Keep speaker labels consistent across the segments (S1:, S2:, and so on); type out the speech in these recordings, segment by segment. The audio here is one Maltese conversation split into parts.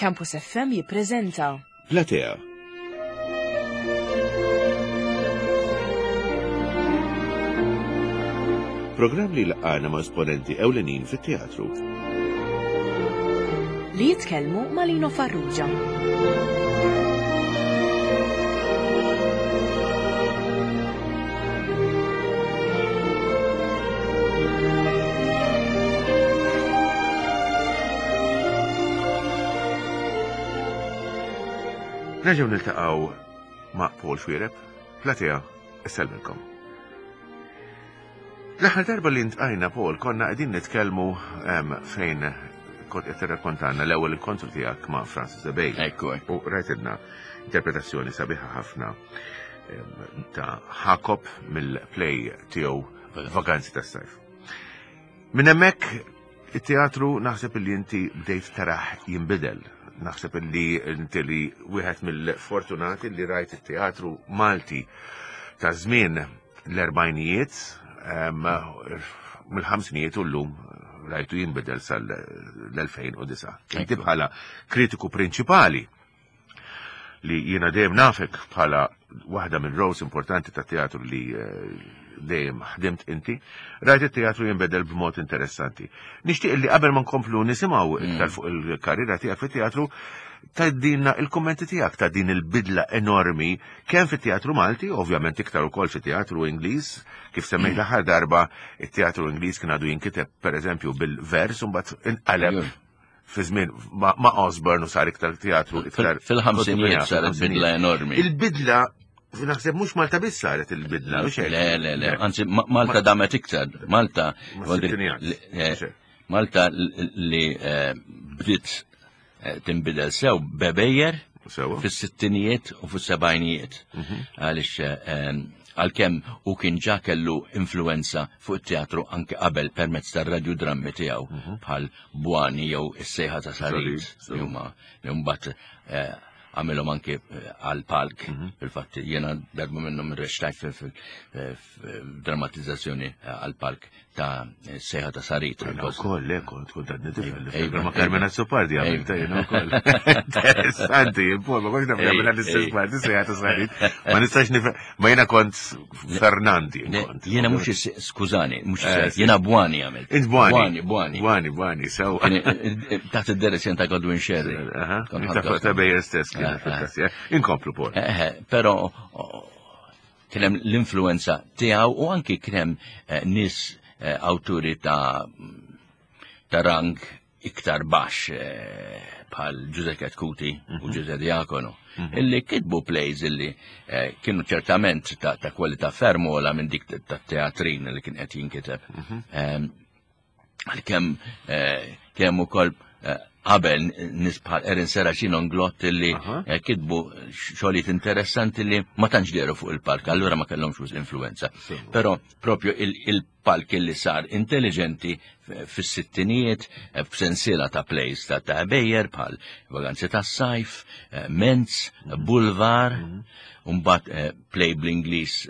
S1: Campus FM jippreżenta.
S2: Platea. Programm li laqgħana ma' esponenti ewlenin fit-teatru.
S1: Li jitkellmu ma' Lino Farrugia.
S2: Nerġgħu niltaqgħu ma' Paul Xuereb, Platea, isselmilkom. L-aħħar darba li ntqajna Paul konna qegħdin nitkellmu fejn kont qed tirrakkontanna l-ewwel inkontru tiegħek ma' Francis Ebej.
S3: Ekku.
S2: U rajtilna interpretazzjoni sabiħa ħafna ta' Jacob mill-play tiegħu Vaganzi tas-sajf. Minn hemmhekk it-teatru naħseb li inti bdejt taraħ jinbidel. Naħseb li inti li wieħed mill-fortunati li rajt it-teatru Malti ta' żmien l-erbajnijiet, mill-ħamsinijiet u llum rajtu jinbidel sal-2009. Inti bħala kritiku prinċipali li jiena dejjem nafek bħala waħda minn roles importanti ta' teatru li eh, dejjem ħdimt inti, rajt it-teatru jinbedel b'mod interessanti. Nixtieq li qabel ma nkomplu nisimgħu mm. iktar fuq il-karriera tiegħek fit-teatru, tgħidilna il-kummenti tiegħek ta' din il-bidla enormi kemm fit-teatru Malti, ovvjament iktar ukoll fit-teatru Ingliż, kif semmejt mm. l-aħħar darba it-teatru Ingliż kien għadu jinkiteb pereżempju bil-vers u mbagħad inqaleb fi żmien ma' Osborne u sar iktar teatru iktar.
S3: Fil-ħamsinijiet saret bidla enormi.
S2: Il-bidla naħseb mhux Malta biss saret il-bidla,
S3: mhux hekk. Le, le, le, anzi Malta damet iktar. Malta eh, Malta li eh, bdiet eh, tinbidel sew bebejjer fis-sittinijiet u fis-sebgħinijiet. Mhm. Għaliex għalkemm u kien ġa kellu influenza fuq it-teatru anke qabel permezz tar-radjudrammi tiegħu mhm. bħal Bwani jew is-sejħa ta' Sarit li huma li mbagħad eh, għamilhom anke eh, għal palk. Mhm. Fil-fatt jiena darba minnhom irrextajt fil-drammatizzazzjoni eh, għal palk ta' sejħa ta' Sarit.
S2: Jiena wkoll, le kont kont għadni tifel. Ma Carmen Azzopardi għamilta jiena wkoll. Interessanti, ma kontx naf għamilha l-istess parti sejħa ta' Sarit. Ma nistax nifhem Ma jena kont Fernandi.
S3: Jena mux, skużani, mux eh, jena Bwani għamilt.
S2: Int Bwani.
S3: Bwani, Bwani.
S2: Bwani, Bwani, sew.
S3: Eh, eh, taħt id-direzzjon ta' Godwin Sherry.
S2: Ta' bejjer stess kien. Inkomplu, Paul.
S3: Pero, kienem l-influenza tiegħu u anki kienem nis awturi ta' ta' rang iktar baxx eh, bħal Ġuże Ketkuti u mhm. Ġuże Diakono, mhm. illi kitbu plays illi eh, kienu ċertament ta' kwalità ferm ola minn dik ta' teatrin li kien qed jinkiteb. Mhm. Ehm, għalkemm eh, kemm ukoll qabel nies bħal Erin Serracino Nglott illi kitbu xogħlijiet interessanti li ma tantx dehru fuq il-park, allura ma kellhomx influenza. Però propju il palk li sar intelligenti fis-sittinijiet eh, b'sensiela ta' plays ta' ta' Bejer bħal Vaganzi tas-Sajf, eh, Menz, mhm. Bulvar, mhm. mbagħad eh, play bl-Ingliż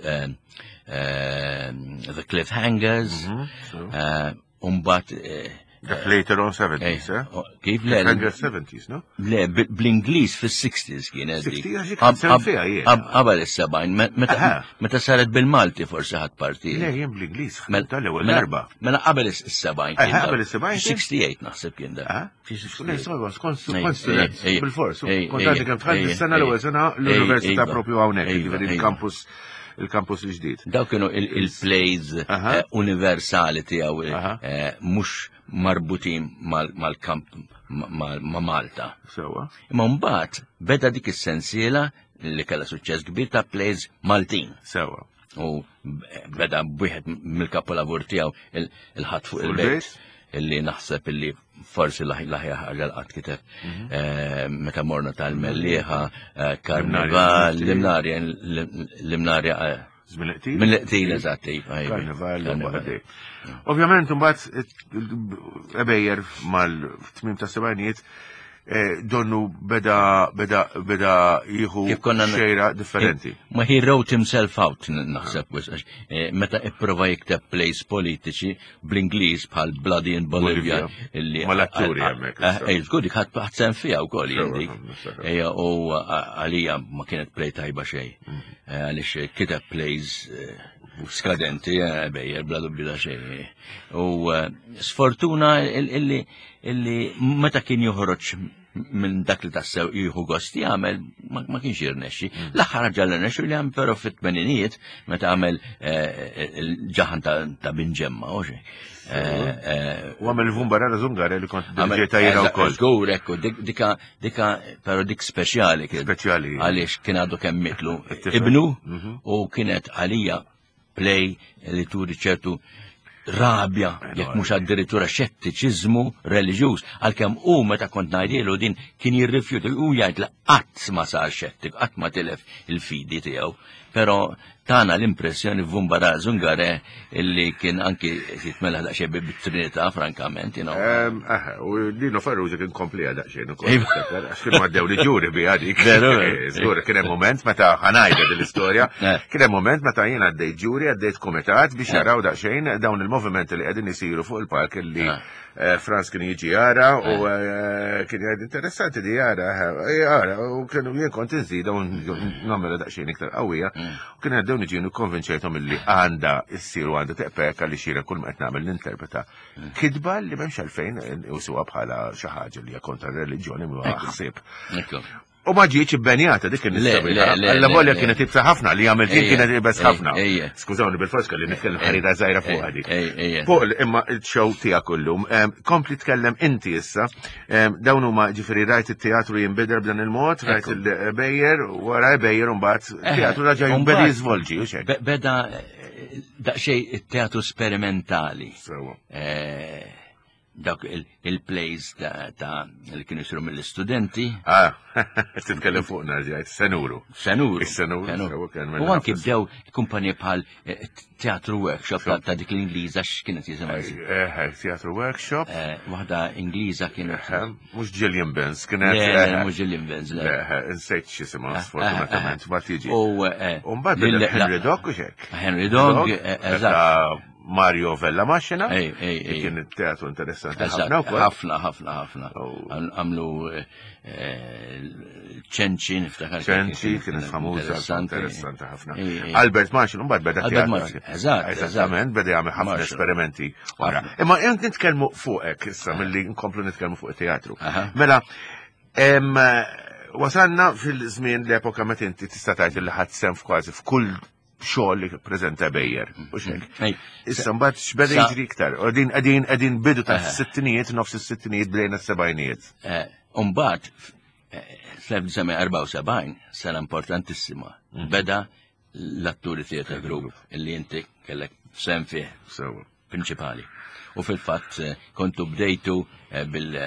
S3: The Cliffhangers, mhm, mbagħad
S2: Dak later on 70s, eh?
S3: Oh, kif le?
S2: 70s, no?
S3: Le, bl-Ingliż fis-60s kienet.
S2: Qabel
S3: is-70, meta saret bil-Malti forsi ħadd parti.
S2: Le, jien bl-Ingliż, tal-ewwel mela, darba.
S3: Mela qabel is-70.
S2: Qabel is-70?
S3: 68 naħseb kien da.
S2: Kont student, bil-fors. Kont għandi kemm tħalli s-sena l-ewwel sena l-università propju hawnhekk, jiġifieri il-campus il-campus il-ġdid.
S3: Daw kienu il-plays eh, universali tiegħu eh, mhux marbutin mal-kamp ma' Malta.
S2: Sewa.
S3: Imma mbagħad beda dik is-sensiela li kellha suċċess kbir ta' plays Maltin.
S2: Sewa.
S3: U beda b'wieħed mill-kapolavur tiegħu il-ħadd fuq il-bejt illi naħseb illi forsi l-aħjar ħaġa l-qatt kiteb. Mhm. Eh, meta morna tal-Mellieħa, eh, Karnival, l-Imnarja, l-Imnarja. Eh,
S2: Mill-qtil,
S3: eżatt. Iva,
S2: iva. Karnival, Karnival. Ovvjament, mbagħad ebejjer mal-tmim ta' sebgħinijiet. eh, donnu beda beda beda jieħu xejra differenti.
S3: Ma he wrote himself out naħseb wisq eh, meta ipprova jikteb plays politiċi bl-Ingliż bħal Bloody in Bolivia
S2: illi Ma l-atturi hemmhekk.
S3: Eh, żgur dik ħadd sem fiha wkoll jien dik. Ejja u għalija ma kienet play tajba xejn. Mm. Għaliex kiteb plays skadenti bejjer bla dubju ta' xejn. U sfortuna illi illi meta kien joħroġ minn dak li tassew jieħu gost jagħmel ma kienx jirnexxi. Mm. L-aħħar ħaġa li rnexxu li għam però fit-tmeninijiet meta għamel eh, il-ġaħan ta' binġemma u xejn.
S2: Eh, eh, u għamel Vumbarara Zungare li kont dirġeta jiena wkoll.
S3: Żgur ekku, dika dika però dik speċjali
S2: kien. Speċjali.
S3: Għaliex kien għadu kemm mitlu ibnu mhm. u kienet għalija play li turi ċertu rabja, jekk mhux addirittura xettiċiżmu reliġjuż, għalkemm hu meta kont ngħidilu din kien jirrifjuta u jgħid li qatt ma sar xettik, qatt ma tilef il-fidi tiegħu. Però tana l-impressjoni f'Vumbara Zungare illi kien anki jitmela daqsxejn bit-Trinità, frankament, you know.
S2: U Lino Farrugia kien komplija daqsxejn ukoll. Iva. Għax kienu għaddew li ġuri bi għadik. Eh, żgur, kien hemm moment meta ħanajda din l-istorja, eh. kien hemm moment meta jien għaddejt ġuri, għaddejt kumitat biex eh. jaraw daqsxejn dawn il-movimenti li qegħdin isiru fuq il-park illi Franz kien jiġi jara u kien jgħid interessanti di jara, jara u kienu jien kont inżida u nagħmilha daqsxejn iktar qawwija. Mm. U kien għaddew niġi nikkonvinċejthom illi għandha issir u għandha teqpek għaliex jiena kull ma qed nagħmel ninterpreta mm. kitba li m'hemmx għalfejn usuha bħala xi ħaġa li hija kontra r-reliġjoni ma ħsieb. U ma ġietx ibbenjata dik il-nistabilha. Alla volja kienet ibsa ħafna li għamilt jien kienet ibes ħafna. Skużawni bil-fors kelli nitkellem ħarira żgħira fuq dik. Fuq imma il-show tiegħek kullum, kompli tkellem inti issa. Dawn huma ġifieri rajt it-teatru jinbidel b'dan il-mod, rajt il-bejjer, wara bejjer u mbagħad teatru raġa' jinbeda jiżvolġi u xejn.
S3: Beda daqsxejn it-teatru sperimentali. Dak il-plays ta' li kienu jisiru mill-istudenti.
S2: Ah, titkellem fuq narġajt, senuru.
S3: Senuru.
S2: Senuru.
S3: U anki bdew kumpaniji bħal eh, Teatru Workshop ta' dik l-Ingliża x'kienet jisimha.
S2: Eh, eh, teatru Workshop.
S3: Waħda Ingliża kienet.
S2: Mhux Gillian Benz, kienet.
S3: Mhux Gillian Benz.
S2: Insejt x'isimha sfortunatament, ma tiġi. U mbagħad Henry Dog u xek.
S3: Henry Dog, eżatt.
S2: Mario Vella Maxina. Kien teatru interessanti ħafna
S3: wkoll. Ħafna, ħafna, ħafna. Għamlu eh, ċenċi, niftakar.
S2: ċenċi kien famuża, interessanti ħafna. Albert Maxin, mbagħad beda
S3: teatru. Eżatt.
S2: Eżattament, beda jagħmel ħafna esperimenti wara. Imma jent nitkellmu fuqek issa eh. milli nkomplu nitkellmu fuq it-teatru. Mela, wasalna fil-żmien l-epoka meta inti tista' tgħid li ħadd sem f'kważi f'kull xogħol li preżenta Bejjer, u xek. Issa mbagħad x'beda jiġri iktar. Qegħdin qegħdin qegħdin bidu ta' sittinijiet, nofs is-sittinijiet bdejna s-sebgħinijiet.
S3: Eh, mbagħad fl-1974 eh, sena importantissima mhm. beda l-atturi theater group illi inti kellek sem fih. Prinċipali. U fil-fatt eh, kontu bdejtu bil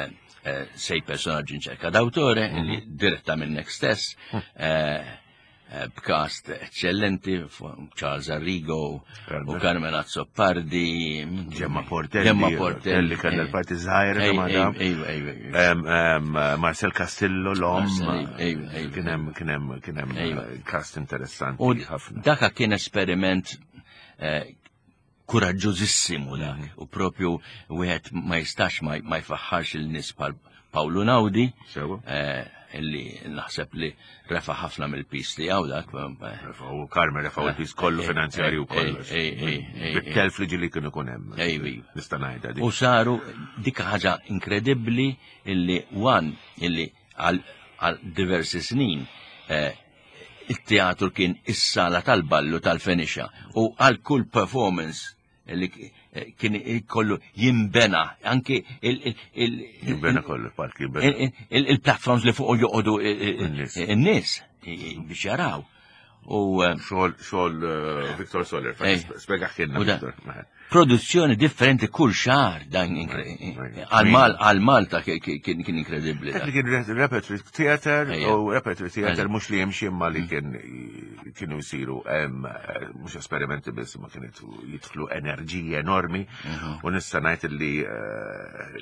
S3: sej personaġġi inċerka d'autore mhm. illi diretta minnek stess. Mhm. Eh, b'kast eccellenti, Charles Arrigo u Carmen Azzopardi,
S2: Gemma Portelli, Gemma Portelli kellha l-parti żgħira Marcel Castillo l-om, kien hemm kien hemm kien hemm eh, kast interessanti
S3: ħafna. Daka kien esperiment eh, kuraġġużissimu dak mm. u propju wieħed ma jistax ma jfaħħarx il-nies bħal Pawlu Naudi eh, illi naħseb li refa ħafna mill-pis li għaw dak.
S2: Eh, u Carmen refa il-pis kollu eh, finanzjarju kollox. Bit-telf li ġili kienu kun hemm. Nista' ngħidha
S3: U saru dik ħaġa inkredibbli illi wan illi għal diversi snin it-teatru kien is-sala tal-ballu tal-Fenixa u għal kull performance li kien kollu jimbena anki il-
S2: jimbena kollu park jimbena.
S3: Il-platforms li fuq joqogħdu in-nies biex jaraw. U eh,
S2: xogħol xogħol eh, Victor Soler, spjega ħinna Victor.
S3: Produzzjoni differenti kull xahar dan għal Malta kien inkredibbli.
S2: Dak li kien repertory theater u repertory theater mhux li jimxi imma li mm. kien kienu jsiru eh, mhux esperimenti biss ma kienet jidħlu enerġiji enormi mhm. u nista' ngħid li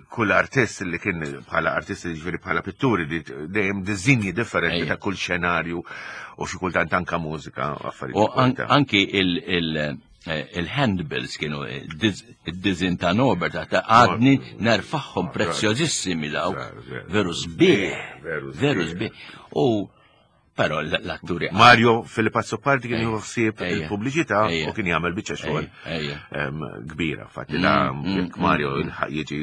S2: kull artist li kien bħala artist jiġifieri bħala pitturi li dejjem diżinji differenti ta' kull xenarju u xi kultant anka mużika u
S3: affarijiet. U anki eh, il-handbills kienu id-dizin ta' Norbert ta' għadni nerfaħħom prezzjożissimi dawk, veru sbieħ, veru sbieħ. U però l-atturi.
S2: Mario Filippo Azzopardi kien jieħu ħsieb il-pubbliċità u kien jagħmel biċċa xogħol kbira. Fatti da mm, mm, Mario mm. jiġi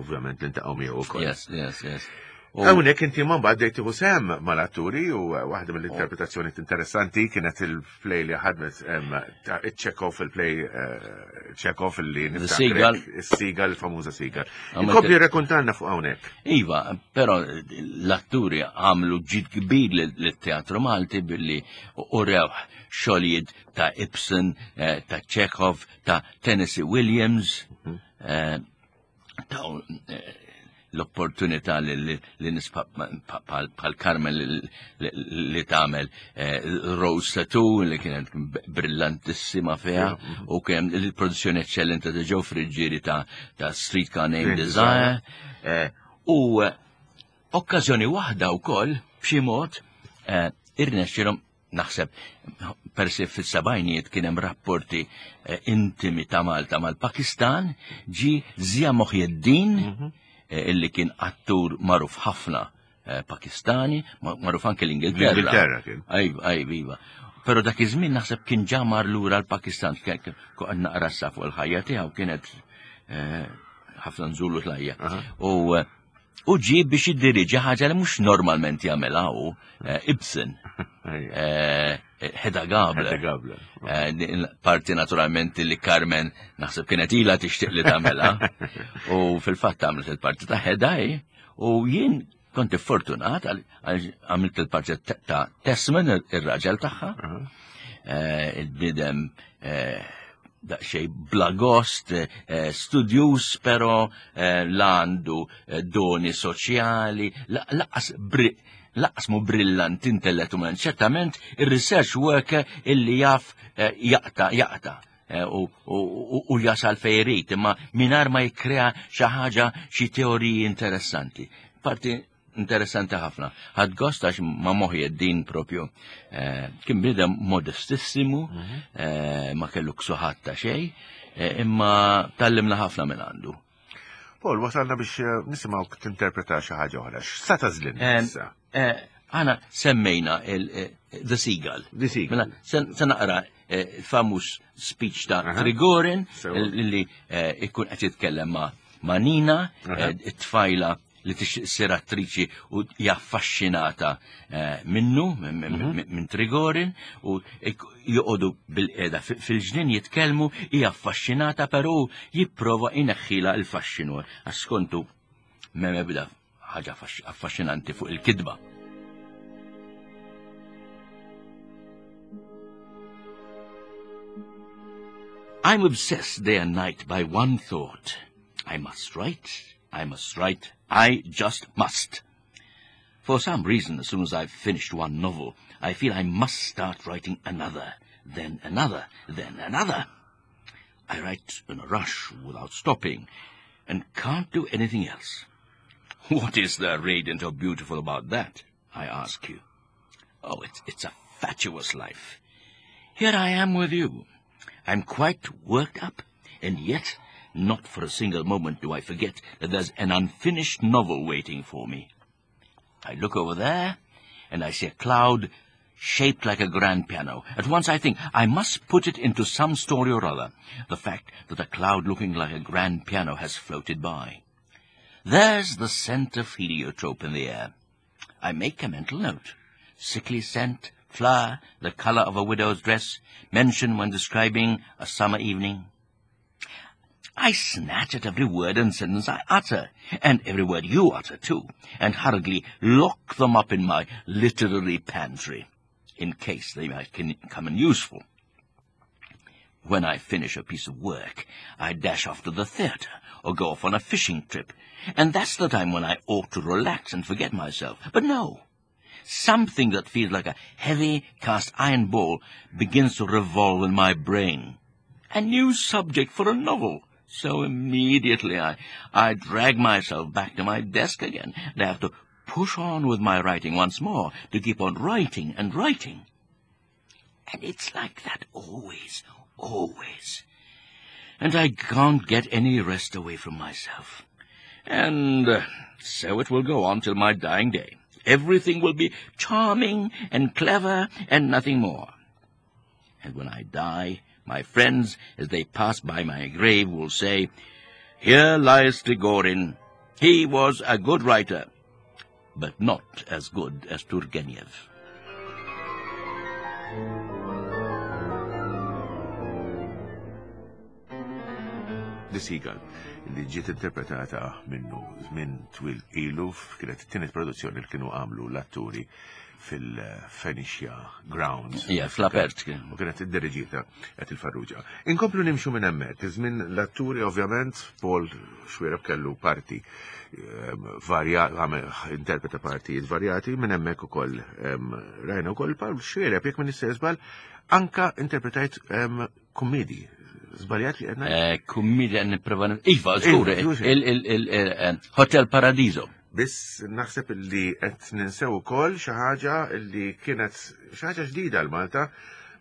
S2: ovvjament l-intaqgħu miegħu ukoll.
S3: Yes, yes, yes.
S2: Hawnhekk inti ma mbagħad bdejt tieħu sehem mal-atturi u waħda mill-interpretazzjonijiet interessanti kienet il-play li ħadmet ta' Chekhov il-play eh, Chekhov li
S3: Seagull.
S2: Is-Seagull, il-famuża Seagull. Inkompli rrakkontalna fuq hawnhekk.
S3: Iva, però l-atturi għamlu ġid kbir lit-teatru Malti billi urew xogħlijiet ta' Ibsen, eh, ta' Chekhov, ta' Tennessee Williams. Mhm. Eh, taw eh, l-opportunità li nisfa bħal Carmen li tagħmel eh, Rose Tattoo li kienet brillantissima fiha u kien il-produzzjoni eccellente ta' Joe Friggieri ta' Streetcar Named Desire. Eh, u okkażjoni waħda wkoll b'xi mod irnexxilhom Naħseb persi fis-sebgħinijiet kien hemm rapporti eh, intimi ta' Malta mal-Pakistan, ġi Zia Moħjeddin, mhm. eh, illi kien attur magħruf ħafna eh, Pakistani, magħruf anke l-Ingilterra.
S2: L-Ingilterra kien.
S3: Ajva, ajva, iva. Pero dak iż-żmien naħseb kien ġamar lura l-Pakistan, kien naqra sa fuq il-ħajja tiegħu kienet ħafna nżulu tlajja. U U ġie biex jiddiriġi ħaġa li mhux normalment jagħmilha hu eh, Ibsen. Eh, Hedda Gabler.
S2: Hedda Gabler.
S3: Eh, parti naturalment li Carmen naħseb kienet ilha tixtieq li tagħmilha. U fil-fatt għamlet il-parti ta' Hedda u jien kont fortunat għamilt il-parti ta' Tessman, ir-raġel tagħha. Il-bnidem daqsxejn bla gost, eh, studjuż però eh, la għandu eh, doni soċjali, laqas laqas mu brillant intellettualment, ċertament il-research worker illi jaf jaqta jaqta u jasal fejrit, imma minar ma jikrea xi ħaġa xi teoriji interessanti. Parti Interessanti ħafna. Ħadd gost għax ma moħi din propju. Eh, kien bniedem modestissimu, mhm. eh, ma kellu ksuħat ta' xejn, eh, imma tallimna ħafna minn għandu.
S2: Paul, wasalna biex nisimgħu tinterpreta xi ħaġa oħra. X'sa tażlin issa?
S3: Għana semmejna The Seagull.
S2: The Seagull.
S3: Mela, se naqra famuż speech ta' Trigorin li ikun qed jitkellem ma' Nina, it-tfajla li tixtieq ssir attriċi u hija affaxxinata eh, minnu, mhm. minn Trigorin, u joqogħdu bil-qeda fil-ġnien jitkellmu, hija affaxxinata però jipprova ineħħila l-faxxinu għax skontu m'hemm ebda ħaġa affaxxinanti fuq il-kitba. I'm obsessed day and night by one thought. I must write, I must write, I just must. For some reason, as soon as I've finished one novel, I feel I must start writing another, then another, then another. I write in a rush without stopping, and can't do anything else. What is there radiant or beautiful about that, I ask you? Oh, it's, it's a fatuous life. Here I am with you. I'm quite worked up, and yet not for a single moment do I forget that there's an unfinished novel waiting for me. I look over there, and I see a cloud shaped like a grand piano. At once I think I must put it into some story or other, the fact that a cloud looking like a grand piano has floated by. There's the scent of heliotrope in the air. I make a mental note. Sickly scent, flower, the color of a widow's dress, mentioned when describing a summer evening. I snatch at every word and sentence I utter, and every word you utter too, and hurriedly lock them up in my literary pantry. in case they might come in useful. When I finish a piece of work, I dash off to the theatre or go off on a fishing trip, and that's the time when I ought to relax and forget myself. But no! Something that feels like a heavy cast iron ball begins to revolve in my brain. A new subject for a novel. So immediately I, I drag myself back to my desk again, and I have to push on with my writing once more to keep on writing and writing. And it's like that always, always. And I can't get any rest away from myself. And uh, so it will go on till my dying day. Everything will be charming and clever and nothing more. And when I die, my friends, as they pass by my grave, will say, Here lies Trigorin. He was a good writer, but not as good as Turgenev.
S2: The Seagull, li ġiet interpretata minnu żmien twil ilu kienet it-tienet produzzjoni li kienu għamlu l-atturi fil-Phoenicia Grounds.
S3: Ja, fl-apert.
S2: U kienet id-diriġita qed il-Farrugia. Inkomplu nimxu minn hemmhekk, iż-żmien l-atturi ovvjament Paul Xwiereb kellu parti ehm, varja, interpreta partijiet varjati minn hemmhekk ukoll ehm, rajna wkoll Paul Xwiereb jekk minn żball anka interpretajt ehm, kummedi. Żbaljat li
S3: għedna? Eh, kummedi għan nipprova. Iva, żgur, il-Hotel eh, Paradiso.
S2: Biss naħseb li qed ninsew ukoll xi ħaġa li kienet xi ħaġa ġdida l Malta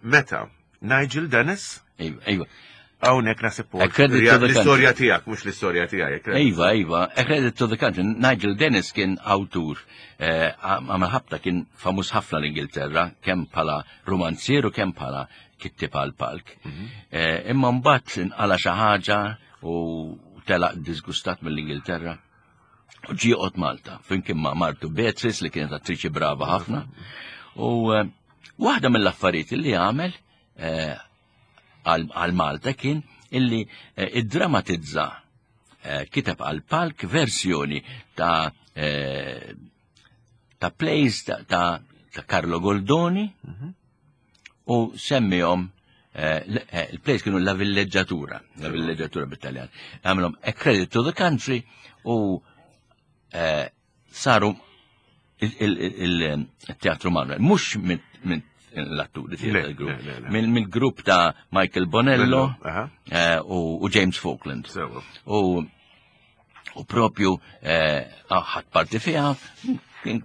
S2: meta Nigel Dennis.
S3: Iva, iva.
S2: Hawnhekk naħseb l-istorja tiegħek mhux l-istorja tiegħek.
S3: Iva, iva, a credit to the country. Nigel Dennis kien awtur eh, għamel ħabta kien famuż ħafna l-Ingilterra kemm bħala romanzier u kemm bħala kittib għal palk. Mhm. Eh, imma mbagħad inqala xi ħaġa u telaq disgustat mill-Ingilterra. U ġie joqgħod Malta, flimkien ma' martu Beatrice li kienet attriċi brava ħafna. U eh, waħda mill-affarijiet li għamel eh, għal Malta kien illi eh, iddramatizza kiteb għal palk versjoni ta' ta' plays ta' Carlo Goldoni mhm. u semmihom eh, eh, il-place kienu la villeġġatura, la villeġġatura bit-Taljan. Għamlhom a credit to the country u eh, saru il-teatru Manuel, mhux minn l-atturi grupp, mill-grupp ta' Michael Bonello u James Falkland. U U propju eh, ħadd parti fiha, kien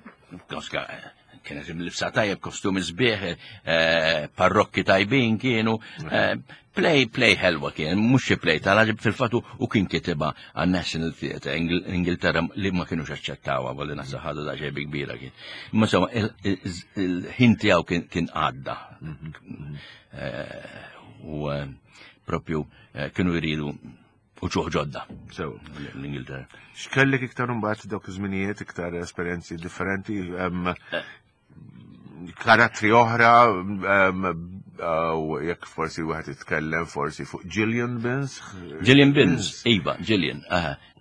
S3: kienet imlibsa tajjeb, kostumi sbieħ, eh, parrokki tajbin kienu, eh, play, play ħelwa kien, mhux xi play tal-ħaġib fil-fatu u kien kitibha għan National Theatre, Ingilterra li ma kienux aċċettawha, volli naħseb ħadu da xejn kbira kien. Imma insomma, il-ħin tiegħu kien għadda. Mhm. U propju kienu jridu u ċuħ ġodda.
S2: Sew.
S3: L-Ingilterra.
S2: X'kellek iktar imbagħad dawk iż-żminijiet, iktar esperjenzi differenti, eh. karattri oħra, u jekk forsi wieħed jitkellem forsi fuq Gillian Bins.
S3: Gillian Bins, iva, Gillian.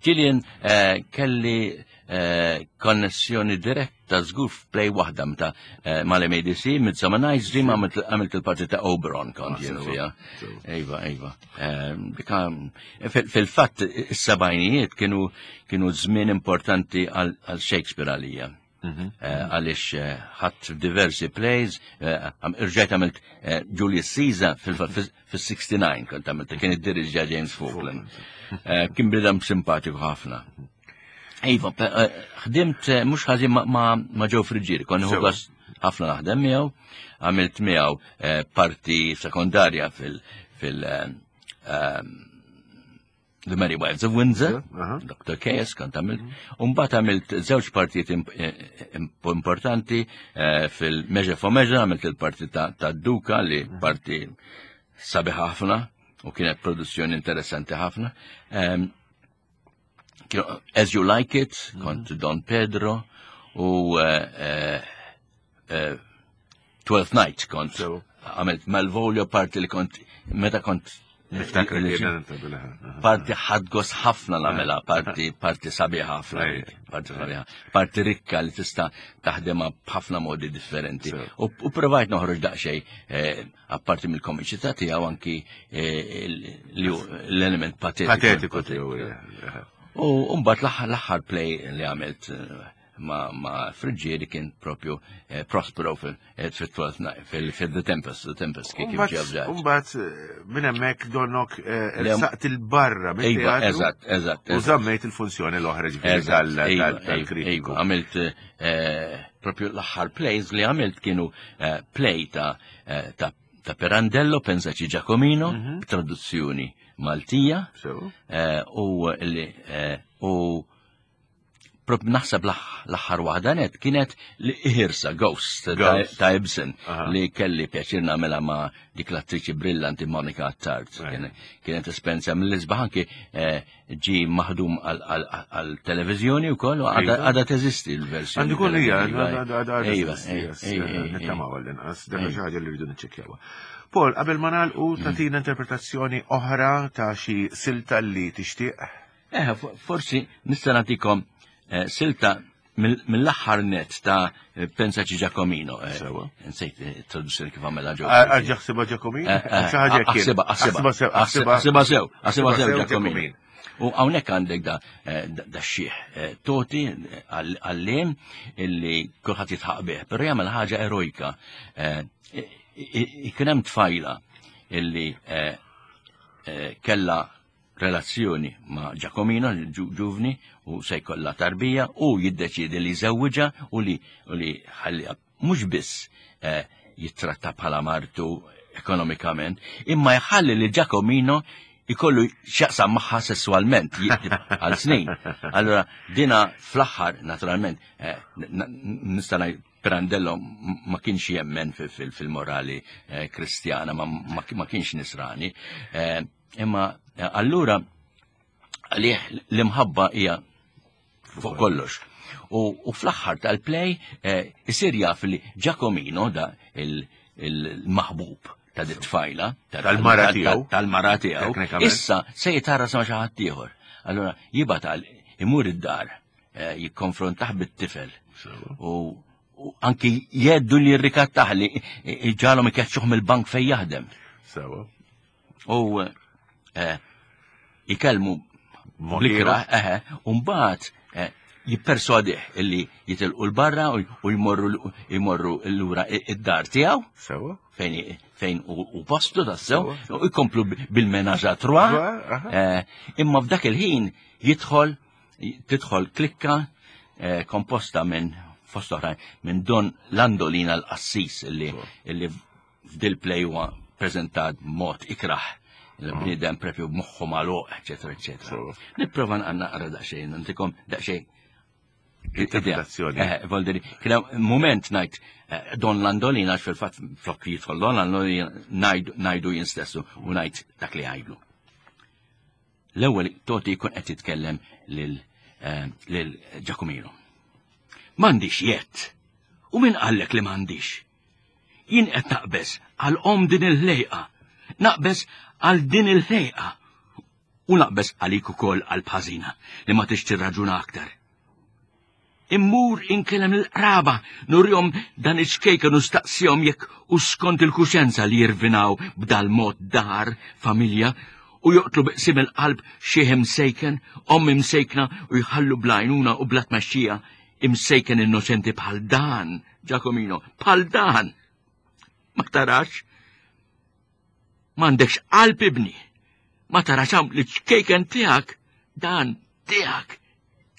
S3: Gillian eh, kelli eh, konnessjoni diretta Ta' żgur f'play waħda meta eh, mal-MADC, Midsummer Night's Dream għamilt il-parti ta' Oberon kont jien fiha. Iva, iva. Eh, fil-fatt, is-sebgħinijiet kienu kienu żmien importanti għal Shakespeare għalija. Mhm. Eh, għaliex ħadd diversi plays, irġajt għamilt Julius Caesar fil-69 kont għamilt, kien id-dirigġa James Falkland. Kien bidam simpatiku ħafna. Iva, eh, ħdimt eh, mhux ħażin ma' Joe Friggieri, konni ħugas ħafna naħdem miegħu, għamilt miegħu eh, parti sekondarja fil- fil ehm, The Merry Wives of Windsor, Dr. Chaos kont għamilt, mhm. u mbagħad għamilt żewġ partijiet importanti fil-Measure for Measure, għamilt il-parti ta' Duka li mhm. parti sabiħ ħafna u kienet produzzjoni interessanti ħafna. Ehm, As You Like It, mhm. kont Don Pedro, u eh, eh, eh, Twelfth Night kont għamilt Malvolio parti li kont meta kont
S2: Niftakar
S3: Parti ħadgos ħafna nagħmilha, parti parti sabiħa ħafna, parti sabiħa, parti rikka li tista' taħdemha b'ħafna modi differenti. U provajt noħroġ daqsxejn eh, apparti mill-komiċità tiegħu anki eh, l-element patetiku.
S2: Patetiku tiegħu.
S3: U mbagħad l-aħħar play li għamilt eh, ma, ma Friggieri kien propju eh, Prospero fil-The Tempest, The Tempest kif ġew ġew.
S2: Umbagħad eh, minn hemmhekk donnok eh, saqt il-barra
S3: minn Eżatt, eżatt.
S2: U żammejt il-funzjoni l-oħra ġifieri iva, iva, tal-kritiku.
S3: Iva, għamilt propju l-aħħar plays li għamilt kienu play ta' ta' Pirandello, Pensaci Giacomino, mhm. traduzzjoni Maltija, u u Prop naħseb l-aħħar waħda net kienet li ħirsa Ghost ta' Ibsen li kelli pjaċir nagħmilha ma' dik l-attriċi brillanti Monica Attard. Kienet esperjenza mill-isbaħ anki eh, ġi maħdum għal-televiżjoni wkoll u għadha teżisti l-versjoni.
S2: Għandu kun hija, għadha teżisti. Nittamaw għall-inqas, dak xi ħaġa li rridu niċċekkjawha. Paul, qabel ma nagħlqu mm. tagħtina interpretazzjoni oħra ta' xi silta li tixtieq?
S3: Eh, forsi nista' nagħtikom eh, silta mill-aħħar net ta' Pensaci Giacomino. Eh, Sewa. Nsejt eh, traduzzjoni kif għamela ġo.
S2: Għal ħsiba Giacomino?
S3: Aħsiba, aħsiba, aħsiba sew, aħsiba sew Giacomino. U hawnhekk għandek da, da xieħ toti għallim illi kulħadd jitħaq bih, però jagħmel ħaġa erojka. Ikun hemm tfajla illi kella relazzjoni ma' Giacomino, ġuvni, u se jkollha tarbija, u jiddeċiedi li jżewwiġha u li u li ħalliha mhux biss eh, jittratta bħala martu ekonomikament, imma jħalli li Giacomino ikollu x'jaqsam magħha sessualment għal snin. Allora dina fl-aħħar naturalment eh, nista' ngħid Pirandello ma kienx jemmen fil-morali eh, kristjana, ma kienx nisrani. Imma eh, allura għalih l-imħabba hija fuq kollox. U, fl-aħħar tal-play eh, isir jaf li Giacomino da il-maħbub ta' dit tfajla
S2: tal-mara tiegħu
S3: tal-mara tiegħu issa se jitara ma xi ħadd ieħor. Allura jibgħat għal imur id-dar eh, jikkonfrontah bit-tifel. U anki jeddu li jirrikattaħ li ġalhom ikeċċuh mill-bank fejn jaħdem.
S2: Sewa.
S3: U eh, ikellmu blikra, eħe, u mbagħad eh, jipperswadih illi jitilqu l-barra u jmorru jmorru lura id-dar tiegħu.
S2: Sewa.
S3: Fejn fejn u postu tassew, u jkomplu bil-menaġ à trois. Eh, imma f'dak il-ħin jidħol tidħol klikka komposta minn fost oħrajn minn Don Landolina l-qassis illi f'dil play huwa preżentat b'mod ikrah il-bniedem prepju b'moħħu magħluq, eċetera, eċetera. Nipprova naqra daqsxejn, ntikom daqsxejn
S2: interpretazzjoni.
S3: Eh, Volderi, kien moment ngħid eh, Don Landolina għax fil-fatt flok jidħol Don Landolina ngħidu jien stessu u ngħid dak li għajdlu. L-ewwel Toti jkun qed jitkellem lil eh, lil Giacomino. M'għandix jett. U min qallek li m'għandix? Jien qed naqbeż għal om din il-ħlejqa. Naqbeż għal din il-ħlejqa. U naqbeż għalik ukoll għal bħażina li ma tix tirraġuna aktar. Immur inkellem l-qraba, nurjom dan iċ-ċkejken u staqsihom jekk u skont il-kuxenza li jirvinaw b'dal mod dar, familja, u joqtlu biqsim il-qalb xieħ imsejken, om imsejkna u jħallu blajnuna u bla tmexxija imsejken innoċenti bħal dan, Giacomino, bħal dan. Ma tarax? M'għandekx qalb ibni. Ma tarax hawn li ċkejken tiegħek dan tiegħek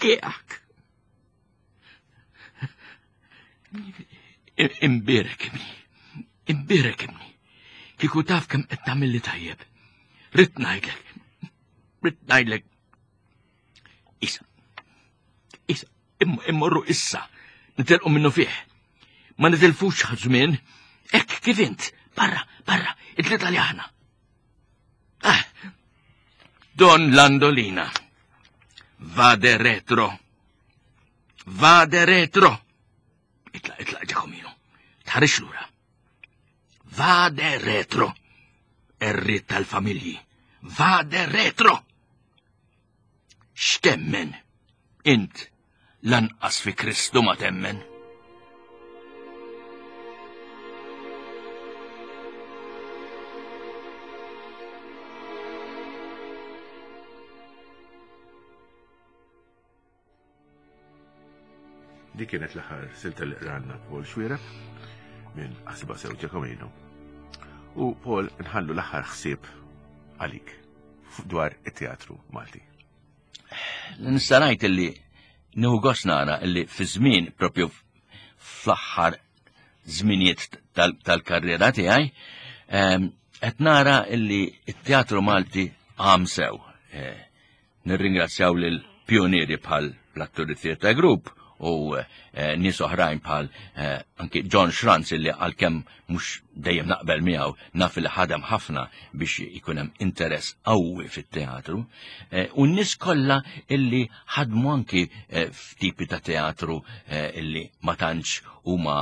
S3: tiegħek. Imbirek ibni, imbirek ibni. Kieku taf kemm qed tagħmilli tajjeb. Rid ngħidlek, rid ngħidlek Isa, isa, immorru issa, nitilqu minnu fih. Ma nitilfux żmien, hekk kif int, barra, barra, it-tlieta li aħna. Ah, Don Landolina, vade retro, vade retro. Itla, itla, Giacomino, tħarix lura. Vade retro, erri tal-familji. Vade retro! X'temmen? Int lanqas fi Kristu ma temmen.
S2: Dik kienet l-aħħar silta li qranna Paul Xwiereb minn Qasba Sew Ġakomino. U Paul nħallu l-aħħar ħsieb għalik dwar it-teatru Malti.
S3: Nista' ngħid illi nieħu gost nara illi fi żmien propju fl-aħħar żminijiet tal-karriera tiegħi ehm, qed nara illi t-teatru Malti għam sew. Eh, Nirringrazzjaw lil pionieri bħal l-Atturi Theatre Group u eh, nies oħrajn bħal eh, anki John Schranz illi għalkemm mhux dejjem naqbel miegħu naf li ħadem ħafna biex ikun hemm interess qawwi fit-teatru eh, u n-nies kollha illi ħadmu anki f'tipi ta' teatru illi ma tantx huma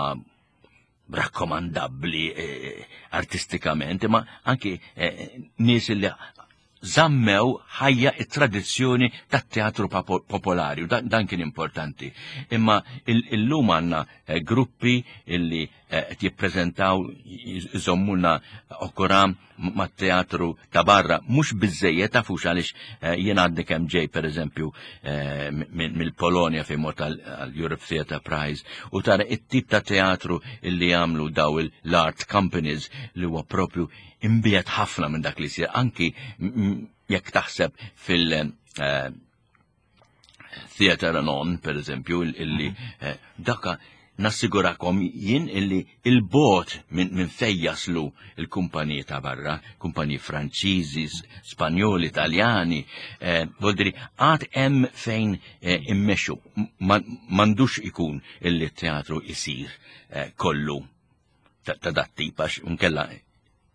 S3: rakkomandabbli eh, artistikament, imma anki eh, nies li zammew ħajja it-tradizzjoni tat-teatru popolari, u dan, kien importanti. Imma illum għandna eh, gruppi illi qed jippreżentaw iżommuna okuram mat-teatru ta' barra, mhux biżejjed tafux għaliex eh, jien għadni kemm ġej pereżempju eh, mill-Polonja fejn mort għall-Europe Theatre Prize u tara it-tip ta' teatru illi jagħmlu daw l-art companies li huwa propju imbiet ħafna minn dak li jsir anki jekk taħseb fil- eh, Theater Anon, per eżempju, illi mhm. eh, daka nassigurakom jien illi il-bot minn min fej jaslu il-kumpaniji ta' barra, kumpaniji Franċiżi, Spanjoli, Italjani, eh, voldiri, għad hemm fejn eh, immexxu, m'għandux ikun illi teatru isir eh, kollu ta' dat tip għax unkella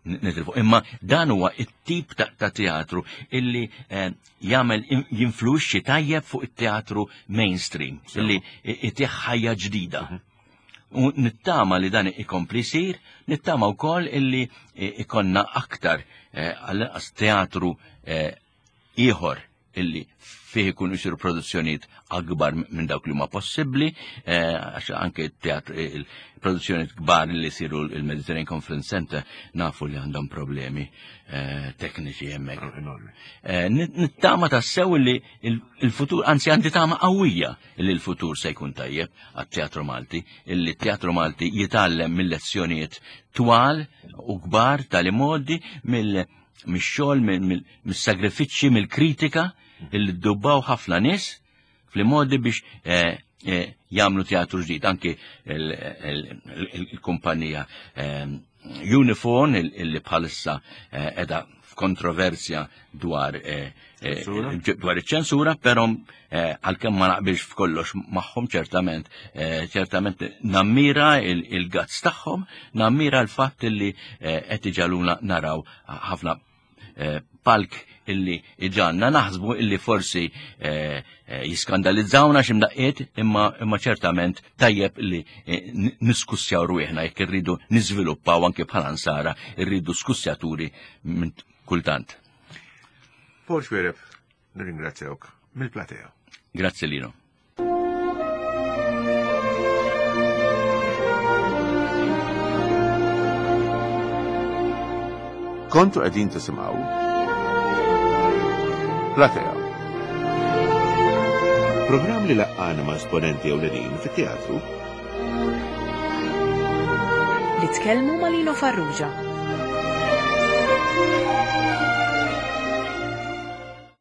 S3: nitilfu. Imma dan huwa it-tip ta' teatru illi eh, jagħmel jinfluwixxi tajjeb fuq it-teatru mainstream, illi itih ħajja ġdida. Mhm. U nittama li dan ikompli jsir, nittama wkoll illi ikonna aktar eh, għall-inqas teatru eh, ieħor illi fih ikunu jsiru produzzjonijiet akbar minn dawk li huma possibbli, eh, għax anke il-produzzjonijiet kbar li jsiru il-Mediterranean Conference Center nafu li għandhom problemi eh, tekniċi hemmhekk. Eh, nittama tassew li il-futur, anzi għandi tama qawwija li l-futur se jkun tajjeb għat-teatru Malti, illi t-teatru Malti jitgħallem mill-lezzjonijiet twal u kbar tal-imodi mill mix-xogħol, mis-sagrifiċċji, mill-kritika illi ddubbaw ħafna nies fl-modi biex eh, eh, jagħmlu teatru ġdid. Anki il-kumpanija eh, Unifon illi bħalissa edha f'kontroversja dwar dwar iċ-ċensura, però għalkemm ma naqbilx f'kollox magħhom ċertament, ċertament nammira il-gazz tagħhom, nammira l-fatt illi qed iġaluna naraw ħafna eh, palk illi iġanna naħsbu illi forsi eh, eh, jiskandalizzawna x'imdaqqiet imma imma ċertament tajjeb illi niskussjaw rwieħna jekk irridu niżviluppaw anke bħala nsara irridu skussjaturi minn kultant.
S2: Paul Xwereb, nirringrazzjawk mill-platea.
S3: Grazzi Lino.
S2: Kontu qegħdin tisimgħu Platea. Programm li laqqana ma' esponenti ewlenin fit-teatru.
S1: Li tkellmu ma' Lino Farrugia.